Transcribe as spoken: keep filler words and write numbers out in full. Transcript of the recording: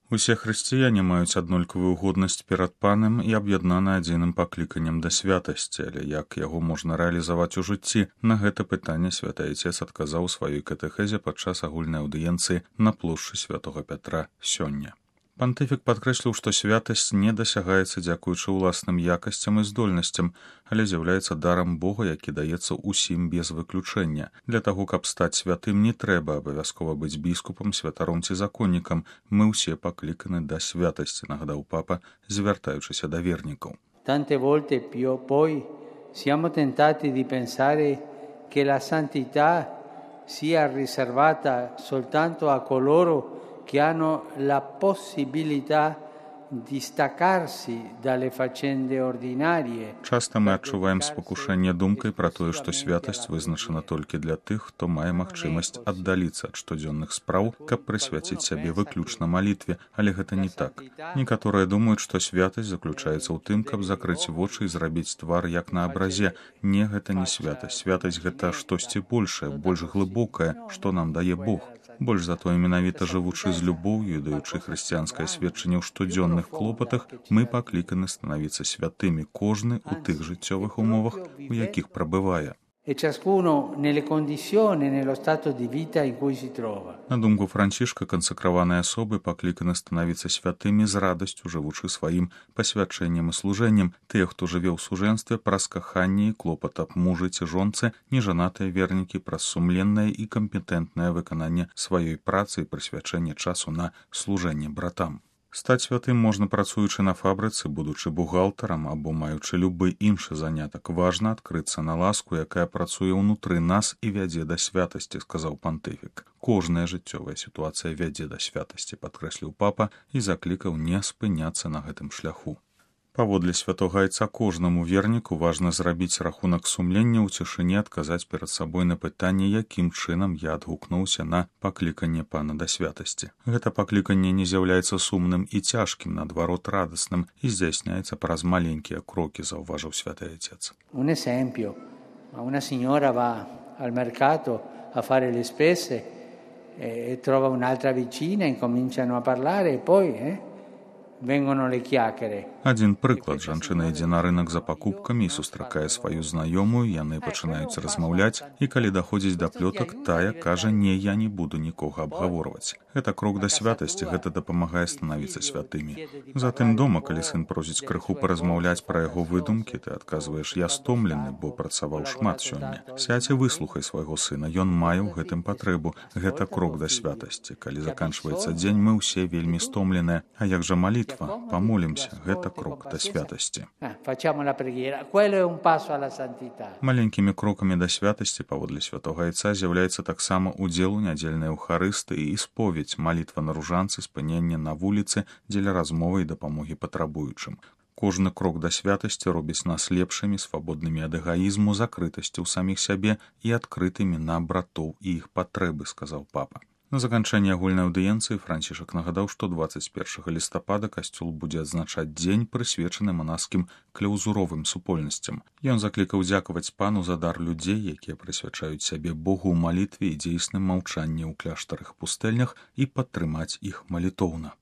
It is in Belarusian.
Усе хрысціяне маюць аднолькавую годнасць перад панам і аб'яднаны адзіным пакліканнем да святасці, але як яго можна рэалізаваць у жыцці? На гэта пытанне святы Айцец адказаў у сваёй катэхезе падчас агульнай аўдыенцыі на плошчы святога Пятра сёння. Пантыфік падкрэсліў, што святасць не дасягаецца дзякуючы ўласным якасцям і здольнасцям, але з'яўляецца дарам Бога, які даецца ўсім без выключэння. Для таго, каб стаць святым, не трэба абавязкова быць біскупам, святаром ці законнікам. Мы ўсе пакліканы да святасці, нагадаў папа, звяртаючыся да вернікаў. Tante volte più poi siamo tentati di pensare che la santità sia riservata soltanto a coloro che hanno la possibilità di staccarsi dalle faccende ordinarie. Часта мы адчуваем спакушэнне думкай пра тое, што святасць вызначана толькі для тых, хто мае магчымасць аддаліцца ад штодзённых спраў, каб прысвяціць сябе выключна малітве, але гэта не так. Некаторыя думаюць, што святасць заключаецца ў тым, каб закрыць вочы і зрабіць твар як на абразе. Не, гэта не святасць. Святасць гэта штосьці большае, больш глыбокае, што нам дае Бог. Больш за тое, менавіта жывучы з любоўю і даючы хрысціянскае сведчанне ў штодзённых клопатах, мы пакліканы станавіцца святымі кожны ў тых жыццёвых умовах, у якіх прабывае. E ciascuno nelle condizioni, nello stato di vita in cui si trova. На думку Францішка, кансакраваныя асобы пакліканы станавіцца святымі з радасцю, жывучы сваім пасвячэннем і служэннем. Тыя, хто жыве ў сужэнстве, праз каханне і клопат аб мужы ці жонцы, нежанатыя вернікі праз сумленнае і кампетэнтнае выкананне сваёй працы і прысвячэнне часу на служэнне братам. Стаць святым можна, працуючы на фабрыцы, будучы бухгалтарам або маючы любы іншы занятак. Важна адкрыцца на ласку, якая працуе ўнутры нас і вядзе да святасці, сказаў пантыфік. Кожная жыццёвая сітуацыя вядзе да святасці, падкрэсліў папа і заклікаў не спыняцца на гэтым шляху. Паводле святога Айца, кожнаму верніку важна зрабіць рахунак сумлення ў цішыні, адказаць перад сабой на пытанне, якім чынам я адгукнуўся на пакліканне пана да святасці. Гэта пакліканне не з'яўляецца сумным і цяжкім, наадварот радасным, і здзяйсняецца праз маленькія крокі, заўважыў святы Айцец. Un esempio, una signora va al mercato a fare le spese e trova un'altra vicina, incominciano a parlare e poi eh, vengono le chiacchiere. Адзін прыклад. Жанчына ідзе на рынак за пакупкамі і сустракае сваю знаёмую, яны пачынаюць размаўляць, і калі даходзіць да плётак, тая кажа: «Не, я не буду нікога абгаворваць». Гэта крок да святасці, гэта дапамагае станавіцца святымі. Затым дома, калі сын просіць крыху паразмаўляць пра яго выдумкі, ты адказваеш: «Я стомлены, бо працаваў шмат сёння». Сядзь і выслухай свайго сына, ён мае ў гэтым патрэбу. Гэта крок да святасці. Калі заканчваецца дзень, мы ўсе вельмі стомленыя. А як жа малітва? Памолімся, гэта крок да святасці. Маленькімі крокамі да святасці, паводле святога Айца, з'яўляецца таксама удзел у нядзельнай эўхарыстыі і споведь, малітва на ружанцы, спыненне на вуліцы дзеля размовы і дапамогі патрабуючым. Кожны крок да святасці робіць нас лепшымі, свабоднымі ад эгаізму, закрытасці ў саміх сябе і адкрытымі на братоў і іх патрэбы, сказаў папа. На заканчэнне агульнай аўдыенцыі Францішак нагадаў, што дваццаць першага лістапада касцёл будзе адзначаць дзень, прысвечаны манаскім кляўзуровым супольнасцям. Ён заклікаў дзякаваць пану за дар людзей, якія прысвячаюць сябе Богу ў малітве і дзейсным маўчанні ў кляштарах пустэльнях, і падтрымаць іх малітоўна.